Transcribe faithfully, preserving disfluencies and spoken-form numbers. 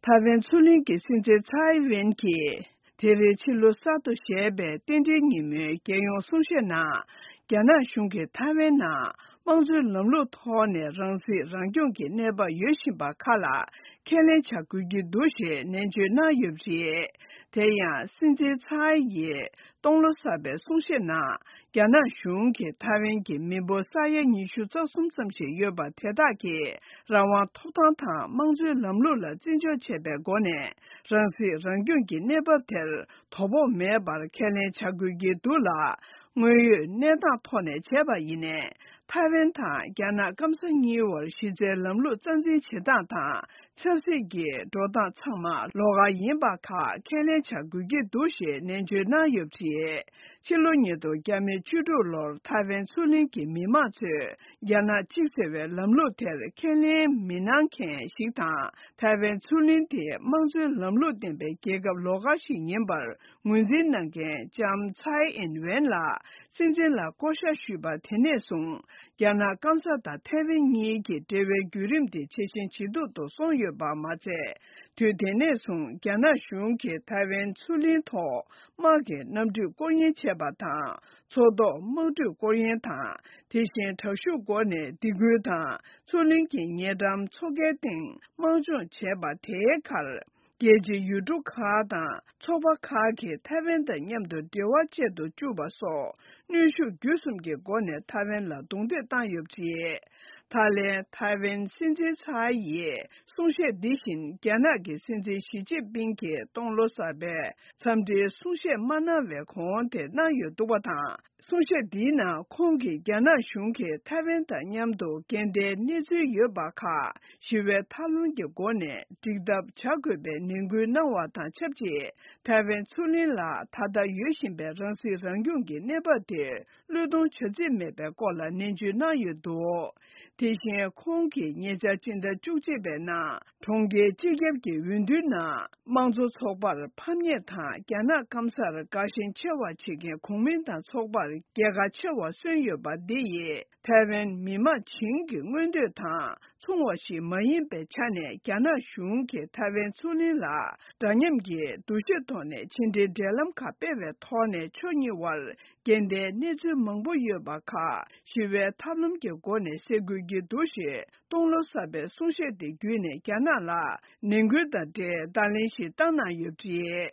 ཐའེ་ཝན་མཚོ་གླིང་གི་སྲིད་འཛིན་ཚའེ་ཝེན་གྱིས། དེ་རིང་ཕྱི་ལོ་གསར་དུ་བཞད་པའི་རྟེན་འབྲེལ་ཉིན་མོའི་རྒྱལ་ཡོངས་གསུང་བཤད་ནང་། རྒྱ་ནག་གཞུང་གིས་ཐའེ་ཝན་ནང་དམངས་གཙོའི་ལམ་ལུགས་ཐོག་ནས་རང་སྲིད་རང་སྐྱོང་གི་གནས་བབ་ཡོད་བཞིན་པ་ཁག་ལ་ཁས་ལེན་བྱ་དགོས་ཀྱི་འདུག་ཞེས་ནན་བརྗོད་གནང་ཡོད་པ་རེད། དེ་ཡང་སྲིད་འཛིན་ཚའེ་ཡིས་སྟོང་ལོ་གསར་པའི་གསུང་བཤད་ནང་། རྒྱ་ནག་གཞུང་གིས་ཐའེ་ཝན་གྱི་མི་འབོར་ས་ཡ་ཉི་ཤུ་རྩ་གསུམ་ཙམ་ཞིག་ཡོད་པ་དེ་དག་གི་རང་དབང་ཐོབ་ཐང་དང་དམངས་གཙོའི་ལམ་ལུགས་ལ་བརྩི་འཇོག་བྱས་པའི་སྒོ་ནས་རང་སྲིད་རང་སྐྱོང་གི་གནས་བབ་དེར་དོ་ཕོག་མེད་པར་ཁས་ལེན་བྱ་དགོས་ཀྱི་འདུག་ལ། དངོས་ཡོད་གནས་སྟངས་ཐོག་ནས་བྱས་པ་ཡིན་ནའི། ཐའེ་ཝན་དང་རྒྱ་ནག་སྐམ་ས་གཉིས་བར་གཞི་རྩའི་ལམ་ལུགས་རྩ་འཛིན་བྱེད་སྟངས་དང་། ཆབ་སྲིད་ཀྱི་འགྲོ་སྟངས་ཚང་མ་ལོགས་ཀ་ཡིན་པ་ཁག་ཁས་ལེན་བྱ་དགོས་ཀྱི་འདུག་ཞེས་ནན་བརྗོད་གནང་ཡོད་པ་རེད། ཕྱི་ལོ་ཉིས་སྟོང་བཅུ་དྲུག་ལོར་ཐའེ་ཝན་མཚོ་གླིང་གི་མི་མང་ཚོས་རྒྱ་ནག་གཅིག་ཟེར་བའི་ལམ་ལུགས་དེར་ཁས་ལེན་མི་གནང་མཁན་ཞིག་དང་། ཐའེ་ཝན་མཚོ་གླིང་དེ་དམངས་གཙོའི་ལམ་ལུགས་ལྡན་པའི་རྒྱལ་ཁབ་ལོགས་ཀ་ཞིག་ཡིན་པར་ངོས་འཛིན་གནང་མཁན་ལྕམ་ཚའེ་ཨིན་ཝེན་ལ་སྲིད་འཛིན་ལ་བསྐོ་བཞག་ཞུས་པ་དེ་ནས་བཟུང་། རྒྱ་ནག་སྐམ་ས་དང་ཐའེ་ཝན་གཉིས་ཀྱི་འབྲེལ་བའི་བརྒྱུད་རིམ་དེ་ཇེ་ཞན་ཇེ་སྡུག་ཏུ་སོང་ཡོད་པ་མ་ཚད། དུས་དེ་ནས་བཟུང་རྒྱ་ནག་གཞུང་གིས་ཐའེ་ཝན་མཚོ་གླིང་ཐོག་དམག་གི་གནམ་གྲུས་སྐོར་གཡེང་བྱས་པ་དང་། མཚོ་ཐོག་དམག་གྲུས་སྐོར་གཡེང་དང་། དེ་བཞིན་དྲག་ཤུགས་སྒོ་ནས་སྡིགས་སྐུལ་དང་། མཚོ་གླིང་གི་ཉེ་འགྲམ་མཚོ་ཁའི་སྟེང་དམག་སྦྱོང་བྱས་པ་དེའི་ཁར། རྒྱལ་སྤྱིའི་ཡུལ་གྲུ་ཁག་དང་ཚོགས་པ་ཁག་གིས་ཐའེ་ཝན་དང་མཉམ་དུ་འབྲེལ་བ་བཅད་དུ་བཅུག་པ་སོགས་གནོན་ཤུགས་བརྒྱུད་གསུམ་གྱི་སྒོ་ནས་ཐའེ་ཝན་ལ་རྡུང་རྡེག་བཏང་ཡོད་པ་རེད། ད་ལན་ཐའེ་ཝན་སྲིད་འཛིན་ཚའེ་ཡིས་གསུང་བཤད་འདི་བཞིན་རྒྱ་ནག་གི་སྲིད་འཛིན་ཞི་ཅིན་ཕིང་གིས་སྟོང་ལོ་གསར་པའི་འཚམས་འདྲིའི་གསུང་བཤད་མ་གནང་བའི་གོང་དེ་གནང་ཡོད་འདུག་པ་དང་། གསུང་བཤད་འདིའི་ནང་ཁོང་གིས་རྒྱ་ནག་གཞུང་གིས་ཐའེ་ཝན་དང་མཉམ་དུ་འགལ་ཟླའི་གནས་ཚུལ་ཡོད་པ་ཁག་ཞི་བའི་ཐབས་ལམ་གྱི་སྒོ་ནས་འགྲིག་ཐབས་བྱ་དགོས་པའི་ནན་སྐུལ་གནང་བ་དང་ཆབས་ཅིག་ཐའེ་ཝན་མཚོ་གླིང་ལ་ད་ལྟ་ཡོད་བཞིན་པའི་རང་སྲིད་རང་སྐྱོང་གི་གནས་བབ་དེ་བློས་གཏོང་བྱ་རྩིས་མེད་པའི་སྐོར་ལ་ནན་བརྗོད་གནང་ཡོད་འདུག་དེ་བཞིན་ཁོང་གིས་ཉེ་ཆར་སྤྱི་ཟླ་བཅུ་གཅིག་པའི་ནང་གྲོང་ཁྱེར་སྤྱི་ཁྱབ་ཀྱི་འོས་བསྡུའི་ནང་། དམངས་གཙོ་ཚོགས་པར་ཕམ་ཉེས་དང་རྒྱ་ནག་སྐམ་སར་དགའ་ཞེན་ཆེ་བ་བྱེད་མཁན་གོང་མིན་ཏང་ཚོགས་པར་རྒྱལ་ཁ་ཆེ་བ་སོན་ཡོད་པ་འདི་ཡིས་ཐའེ་ཝན་མི་དམངས་བྱིངས་ཀྱི་མངོན་འདོད་དང་མཚུངས་པ་ཞིག་མ་ཡིན་པའི་ཆ་ནས། རྒྱ་ནག་གཞུང་གིས་ཐའེ་ཝན་མཚོ་གླིང་ལ་འདྲ་མཉམ་གྱི་འདུ་ཤེས་ཐོག་ནས་ཕྱི་འབྲེལ་འབྲེལ་ལམ་ཁག་སྤེལ་བའི་ཐོག་ནས་ཕྱོགས་གཉིས་དབར་འགལ་ཟླའི་གནས་ཚུལ་མང་པོ་ཡོད་པ་ཁག་ཞི་བའི་ཐབས་ལམ་གྱི་སྒོ་ནས་སེལ་དགོས་ཀྱི་འདུག་ཞེས། སྟོང་ལོ་གསར་པའི་གསུང་བཤད་དེ་བརྒྱུད་ནས་རྒྱ་ནག་ལ་ནན་སྐུལ་དང་འབྲེལ་བརྡ་ལན་ཞིག་བཏང་གནང་ཡོད་པ་རེད།